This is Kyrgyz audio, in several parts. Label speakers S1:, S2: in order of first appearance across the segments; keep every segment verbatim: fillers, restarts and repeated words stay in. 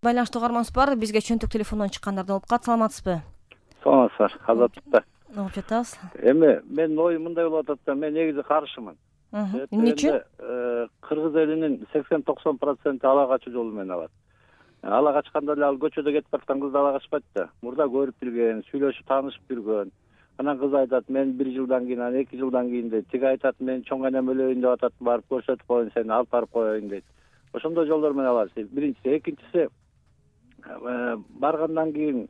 S1: Байланыштуу угарманыбыз бар. Бизге чөнтөк телефондон чыккандардан болуп калат. Саламатсызбы?
S2: Саламатсыздар. Азаттыкта.
S1: Угуп жатабыз.
S2: Эми менин оюм мындай болуп атат да, мен негизи каршымын.
S1: Эмне үчүн?
S2: Кыргыз элинин сексен токсон проценти ала качуу жолу менен алат. Ала качканда эле ал көчөдө кетип бараткан кызды ала качпайт да. Мурда көрүп билген, сүйлөшүп таанышып жүргөн. Анан кыз айтат, мен бир жылдан кийин, анан эки жылдан кийин дейт. Тиги айтат, мен чоң энем өлөйүн деп атат, барып көрсөтүп коеюн, сени алып барып коеюн дейт. Ошондой жолдор менен алат. Биринчиси, экинчиси баргандан кийин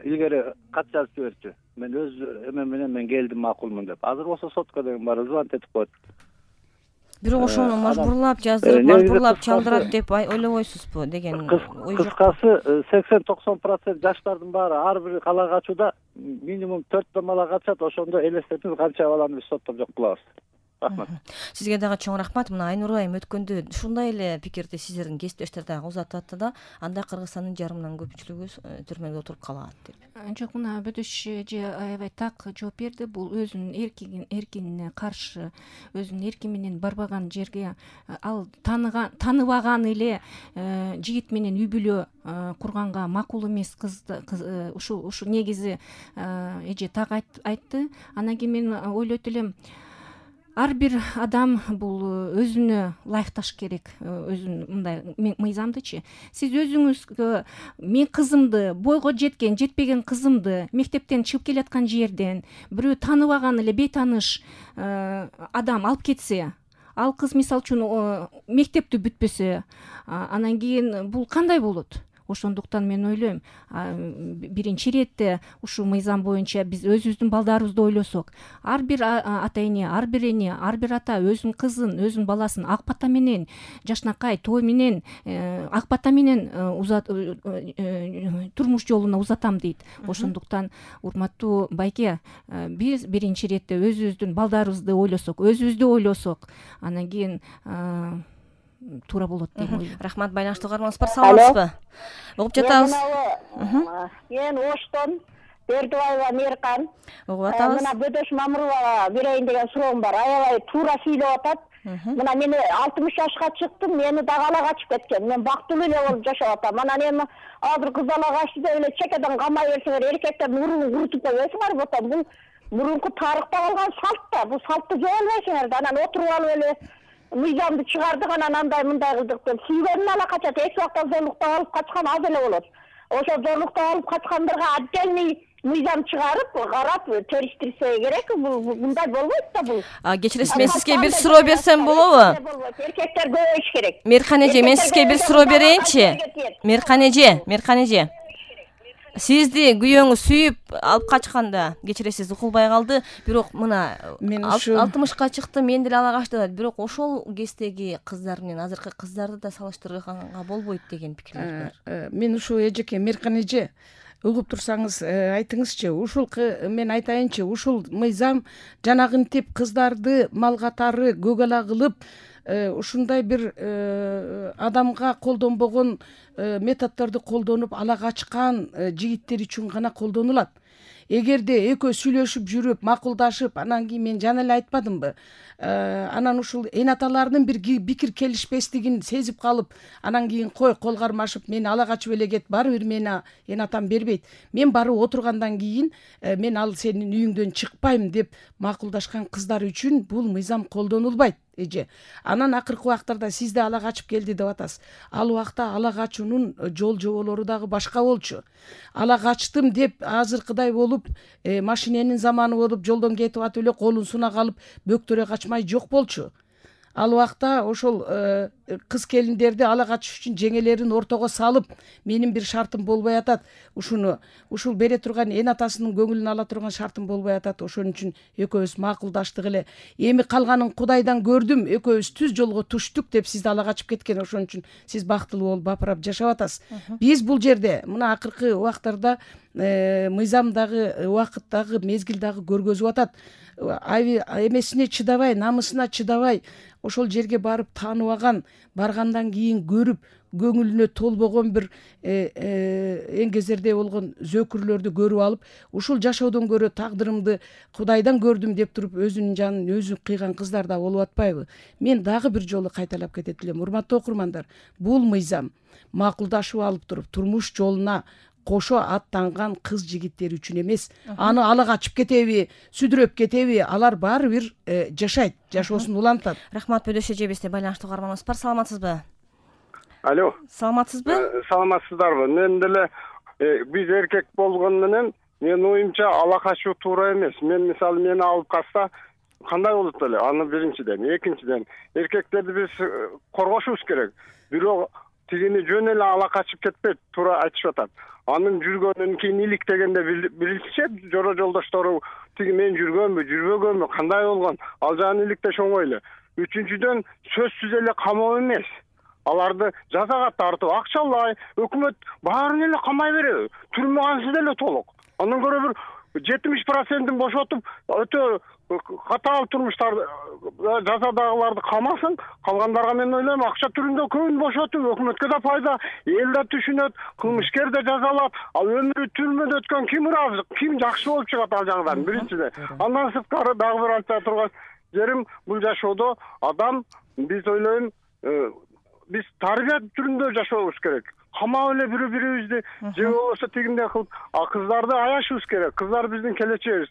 S2: илгери кат жазып жиберчү. Мен өз эме менен мен келдим, макулмун деп. Азыр болсо сотко деген баары звонить этип коет.
S1: Бирок ошону мажбурлап жаздырып, мажбурлап чалдырат деп ойлобойсузбу деген ой жок.
S2: Кыскасы сексен токсон процент жаштардын баары ар бир ала качууда минимум төрт бала качат. Ошондо элестетиңиз канча баланы биз соттоп жок кылабыз. Рахмат.
S1: Сизге дагы чоң рахмат. Мына Айнур айым өткөндө ушундай эле пикирди сиздердин кесиптештер дагы узатып атты да, анда Кыргызстандын жарымынан көпчүлүгү түрмөдө отуруп калат деп.
S3: Жок, мына Бөдөш эже аябай так жооп берди. Бул өзүнүн эркин эркинине каршы, өзүнүн эрки менен барбаган жерге ал таныган, таныбаган эле жигит менен үй бүлө курганга макул эмес. Кыз ушу ушу негизи эже так айтты. Анан кийин мен ойлойт элем, ар бир адам бул өзүнө ылайыкташ керек, өзүнүн мындай мыйзамдычы. Сиз өзүңүзгө мен кызымды, бойго жеткен, жетпеген кызымды мектептен чыгып келаткан жерден бирөө таныбаган эле бейтаныш адам алып кетсе, ал кыз мисалы үчүн мектепти бүтпөсө, анан кийин бул кандай болот? Ошондуктан мен ойлойм, биринчи иретте ушул мыйзам боюнча биз өзүбүздүн балдарыбызды ойлосок, ар бир ата эне, ар бир эне, ар бир ата өзүнүн кызын, өзүнүн баласын ак бата менен, жашнакай, той менен, ак бата менен турмуш жолуна узатам дейт. Ошондуктан, урматтуу байке, биз биринчи иретте өзүбүздүн балдарыбызды ойлосок, өзүбүздү ойлосок, анан кийин туура болот дейм ойлойм.
S1: Рахмат. Байланыштуу угарманыбыз бар. Саламатсызбы? Угуп жатабыз.
S4: Мен Оштон Бердибаева Мейиркан.
S1: Угуп атабыз.
S4: Мына Бөдөш Мамыровага берейин деген суроом бар. Аябай туура сүйлөп атат. Мына мен алтымыш жашка чыктым, мени дагы ала качып кеткен. Мен бактылуу эле болуп жашап атам. Анан эми азыр кыз ала качты деп эле чекеден камай берсеңер, эркектердин мурунун курутуп койбойсуңар бутан. Бул мурунку тарыхта калган салт да. Бул салтты жоолбойсуңар да. Анан отуруп алып эле мыйзамды чыгардык, анан андай мындай кылдык деп сүйгөнүн ала качат. Эч убакта зорлуктап алып качкан аз эле болот. Ошо зорлуктап алып качкандарга отдельный мыйзам чыгарып, карап териштирсе керек. Бул мындай болбойт да бул.
S1: Кечиресиз, мен сизге бир суроо берсем болобу?
S4: Эркектер көбөйүш керек.
S1: Мейиркан эже, мен сизге бир суроо берейинчи. Мейиркан эже, Мейиркан эже. Сизди күйөөңүз сүйүп алып качканда, кечиресиз, укулбай калды, бирок мына алтымышка чыктым, мен деле ала качты дейт. Бирок ошол кездеги кыздар менен азыркы кыздарды да салыштырганга болбойт деген пикирлер бар.
S5: Мен ушул эжеке, Мейиркан эже, угуп турсаңыз айтыңызчы, ушул мен айтайынчы, ушул мыйзам жанагынтип кыздарды мал катары көк ала кылып, ушундай бир адамга колдонбогон методдорду колдонуп ала качкан жигиттер үчүн гана колдонулат. Эгерде экөө сүйлөшүп жүрүп, макулдашып, анан кийин мен жана эле айтпадымбы, анан ушул эн аталардын бир пикир келишпестигин сезип калып, анан кийин кой кол кармашып мени ала качып эле кет, баары бир мени эн атам бербейт. Мен барып отургандан кийин мен ал сенин үйүңдөн чыкпайм деп макулдашкан кыздар үчүн бул мыйзам колдонулбайт эже. Анан акыркы убактарда сиз да ала качып келди деп атасыз. Ал убакта ала качуунун жол жоболору дагы башка болчу. Ала качтым деп азыркыдай болуп, машиненин заманы болуп, жолдон кетип атып эле колун сунак алып бөктөрө качмай жок болчу. Ал убакта ошол кыз келиндерди ала качыш үчүн жеңелерин ортого салып, менин бир шартым болбой атат. Ушуну ушул бере турган эн атасынын көңүлүн ала турган шартым болбой атат. Ошон үчүн экөөбүз макулдаштык эле. Эми калганын Кудайдан көрдүм, экөөбүз түз жолго түштүк деп сизди ала качып кеткен. Ошон үчүн сиз бактылуу болуп бапырап жашап атасыз. Биз бул жерде мына акыркы убактарда мыйзам дагы убакыт дагы мезгил дагы көргөзүп атат. Эмесине чыдабай, намысына чыдабай ошол жерге барып тааныбаган, баргандан кийин көрүп көңүлүнө толбогон бир эң кезерде болгон зөкүрлөрдү көрүп алып, ушул жашоодон көрө тагдырымды Кудайдан көрдүм деп туруп өзүнүн жанын өзү кыйган кыздар да болуп атпайбы? Мен дагы бир жолу кайталап кетет элем. Урматтуу окурмандар, бул мыйзам макулдашып алып туруп турмуш жолуна кошо аттанган кыз жигиттер үчүн эмес. Аны ала качып кетеби, сүдүрөп кетеби, алар баары бир жашайт, жашоосун улантат.
S1: Рахмат, Бөдөш эже бизде байланыштуу угарманыбыз бар. Саламатсызбы?
S6: Алло.
S1: Саламатсызбы?
S6: Саламатсыздарбы? Мен деле биз эркек болгон менен менин оюмча ала качуу туура эмес. Мен мисалы мени алып калса кандай болот эле? Аны биринчиден, экинчиден эркектерди биз коргошубуз керек. Бирок тигини жөн эле ала качып кетпейт, туура айтышып атат. Анын жүргөнүн кийин илик дегенде билишет, жора жолдоштору тиги мен жүргөнбү, жүрбөгөнбү, кандай болгон, ал жагын иликтеш оңой эле. Үчүнчүдөн сөзсүз эле камоо эмес. Аларды жазага тартып, акчалай, өкмөт баарын эле камай береби? Түрмөгансыз эле толук. Андан көрө бир жетимиш процентин бошотуп, өтө катаал турмуштарды жазадагыларды камасын, калгандарга мен ойлойм акча түрүндө көбүн бошотуп, өкмөткө да пайда, эл да түшүнөт, кылмышкер да жазалат. Ал өмүрү түрмөдө өткөн ким ыраазы, ким жакшы болуп чыгат ал жагдан биринчиден. Андан сырткары дагы бир айта турган жерим, бул жашоодо адам, биз ойлойм, биз тарбия түрүндө жашообуз керек. Камап эле бири бирибизди же болбосо тигиндей кылып, а кыздарды аяшыбыз керек. Кыздар биздин келечегибиз.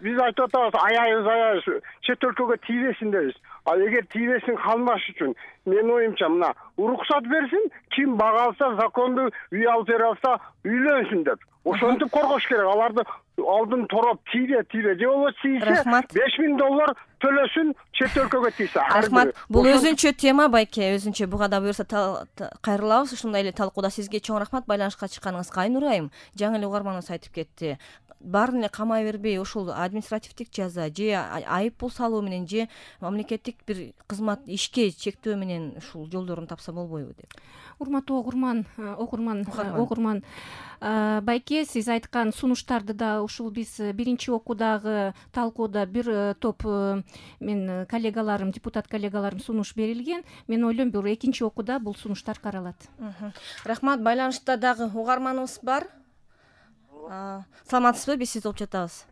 S6: Биз айтып атабыз, аябыз, аябыз, чет өлкөгө тийбесин дейбиз. А эгер тийбесин калмаш үчүн менин оюмча мына уруксат берсин, ким бага алса, законду үй алып бере алса, үйлөнсүн деп. Ошентип коргош керек. Аларды алдын тороп тийбе, тийбе, же болбосо тийсе беш миң доллар төлөсүн, чет өлкөгө тийсе.
S1: Рахмат. Бул өзүнчө тема байке, өзүнчө буга да буюрса кайрылабыз. Ушундай эле талкууда сизге чоң рахмат байланышка чыкканыңызга. Айнур айым, жаңы эле угарманыбыз айтып кетти. Баарын эле камай бербей, ошол административдик жаза же айып пул салуу менен же мамлекеттик бир кызмат ишке чектөө менен ушул жолдорун тапса болбойбу деп.
S3: Урматтуу окурман, окурман, окурман байке, сиз айткан сунуштарды да ушул биз биринчи окуудагы талкууда бир топ мен коллегаларым, депутат коллегаларым сунуш берилген. Мен ойлойм, бир экинчи окууда бул сунуштар каралат.
S1: Рахмат. Байланышта дагы угарманыбыз бар. Саламатсызбы? Биз сизди угуп жатабыз.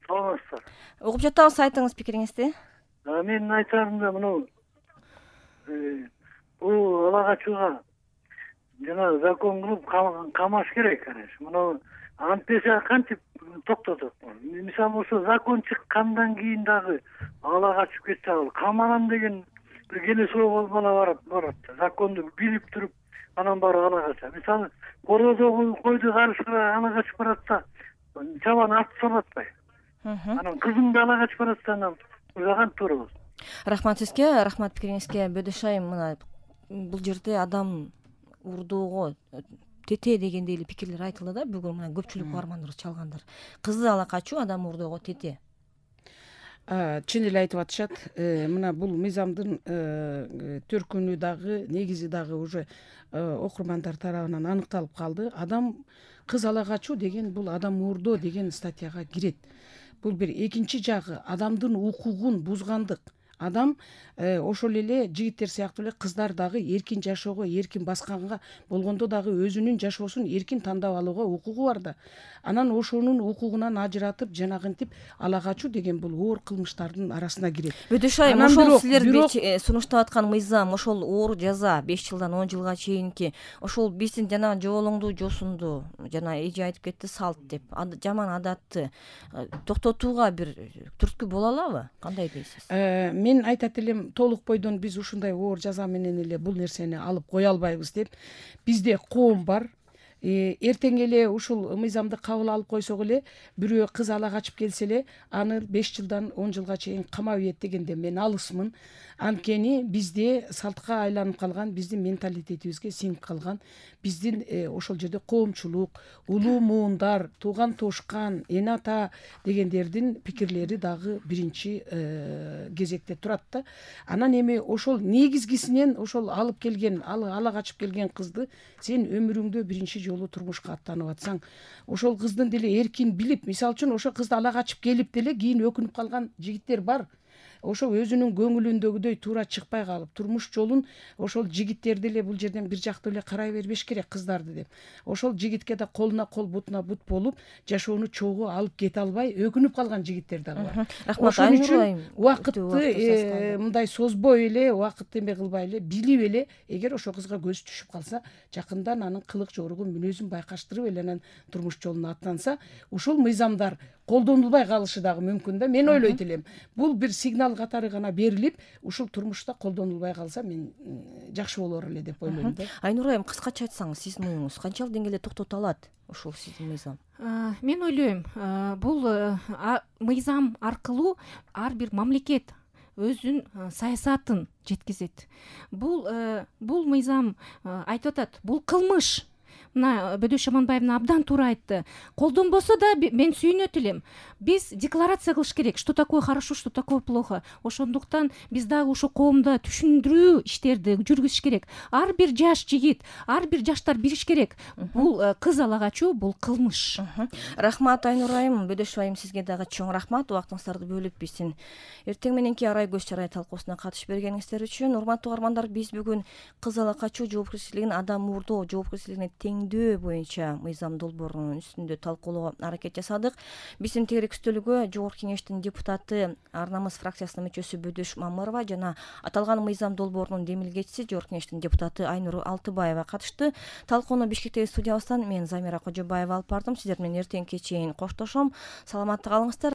S7: Саламатсыздар.
S1: Угуп жатабыз, айтыңыз пикириңизди.
S7: Менин айтарым да мына бул ала качууга жана закон кылып камаш керек, конечно. Мына антпесе кантип токтотот? Мисалы ошо закон чыккандан кийин дагы ала качып кетсе, ал каманам деген бир келе суроо болуп барат. Законду билип туруп, анан барып ала качат. Мисалы корозо койду карышкыра ала качып баратса, чабан атып салатпайбы? Анан кызыңды ала качып баратса, анан узаган туура болот.
S1: Рахмат сизге, рахмат пикириңизге. Бөдөш айым, мына бул жерде адам урдоого тете дегендей эле пикирлер айтылды да, бүгүн мына көпчүлүк угармандарыбыз чалгандар. Кызды ала качуу адам урдоого тете.
S5: Чын эле айтып атышат. Мына бул мыйзамдын төркүнү дагы, негизи дагы уже окурмандар тарабынан аныкталып калды. Адам кыз ала качуу деген бул адам уурдоо деген статьяга кирет. Бул бир экинчи жагы адамдын укугун бузгандык. Адам ошол эле жигиттер сыяктуу эле кыздар дагы эркин жашоого, эркин басканга болгондо дагы өзүнүн жашоосун эркин тандап алууга укугу бар да. Анан ошонун укугунан ажыратып, жанагынтип ала качуу деген бул оор кылмыштардын арасына кирет.
S1: Бөдөш айым, ошол силер сунуштап аткан мыйзам, ошол оор жаза беш жылдан он жылга чейинки, ошол биздин жана жоолоңду, жосунду, жана эже айтып кетти, салт деп, жаман адатты токтотууга бир түрткү боло алабы? Кандай дейсиз?
S5: Мен айтат элем, толук бойдон биз ушундай оор жаза менен эле бул нерсени алып кое албайбыз деп. Бизде коом бар. Эртең эле ушул мыйзамды кабыл алып койсок эле, бирөө кыз ала качып келсе эле, аны беш жылдан он жылга чейин камап ийет дегенде мен алысмын. анткени бизде салтка айланып калган, биздин менталитетибизге сиңип калган, биздин ошол жерде коомчулук, улуу муундар, тууган туушкан, эне ата дегендердин пикирлери дагы биринчи кезекте турат да. Анан эми ошол негизгисинен ошол алып келген, ала качып келген кызды сен өмүрүңдө биринчи жолу турмушка аттанып атсаң, ошол кыздын деле эркин билип, мисалы үчүн ошол кызды ала качып келип деле кийин өкүнүп калган жигиттер бар. Ошол өзүнүн көңүлүндөгүдөй туура чыкпай калып, турмуш жолун ошол жигиттер деле бул жерден бир жактуу эле карай бербеш керек кыздарды деп. Ошол жигитке да колуна кол, бутуна бут болуп, жашоону чогуу алып кете албай өкүнүп калган жигиттер дагы бар. Ошон үчүн убакытты мындай созбой эле, убакытты эме кылбай эле, билип эле, эгер ошол кызга көз түшүп калса, жакындан анын кылык жоругун, мүнөзүн байкаштырып эле анан турмуш жолуна аттанса, ушул мыйзамдар колдонулбай калышы дагы мүмкүн да. Мен ойлойт элем, бул бир сигнал катары гана берилип, ушул турмушта колдонулбай калса, мен жакшы болор эле деп ойлойм да.
S1: Айнура айым, кыскача айтсаңыз, сиздин оюңуз канчалык деңгээлде токтото алат ушул сиздин мыйзам?
S3: Мен ойлойм, бул мыйзам аркылуу ар бир мамлекет өзүнүн саясатын жеткизет. Бул бул мыйзам айтып атат, бул кылмыш. Мына Бөдөш Шаманбаевна абдан туура айтты. Колдонбосо да мен сүйүнөт элем. Биз декларация кылыш керек, что такое хорошо, что такое плохо. Ошондуктан биз дагы ошо коомдо түшүндүрүү иштерди жүргүзүш керек. Ар бир жаш жигит, ар бир жаштар билиш керек. Бул кыз ала качуу, бул кылмыш.
S1: Рахмат Айнура айым, Бөдөш айым, сизге дагы чоң рахмат. Убактыңыздарды бөлүп биздин эртең мененки арай көз чарай талкуусуна катышып бергениңиздер үчүн. Урматтуу угармандар, биз бүгүн кыз ала качуу жоопкерчилигин адам мурдоо жоопкерчилигине теңдөө боюнча мыйзам долбоорунун үстүндө талкуулоого аракет жасадык. Биздин тегерек үстөлгө Жогорку Кеңештин депутаты, Ар намыс фракциясынын мүчөсү Бөдөш Мамырова жана аталган мыйзам долбоорунун демилгечиси Жогорку Кеңештин депутаты Айнура Алтыбаева катышты. Талкууну Бишкектеги студиябыздан мен Замира Кожобаева алып бардым. Сиздер менен эртеңки чейин коштошом. Саламатта калыңыздар.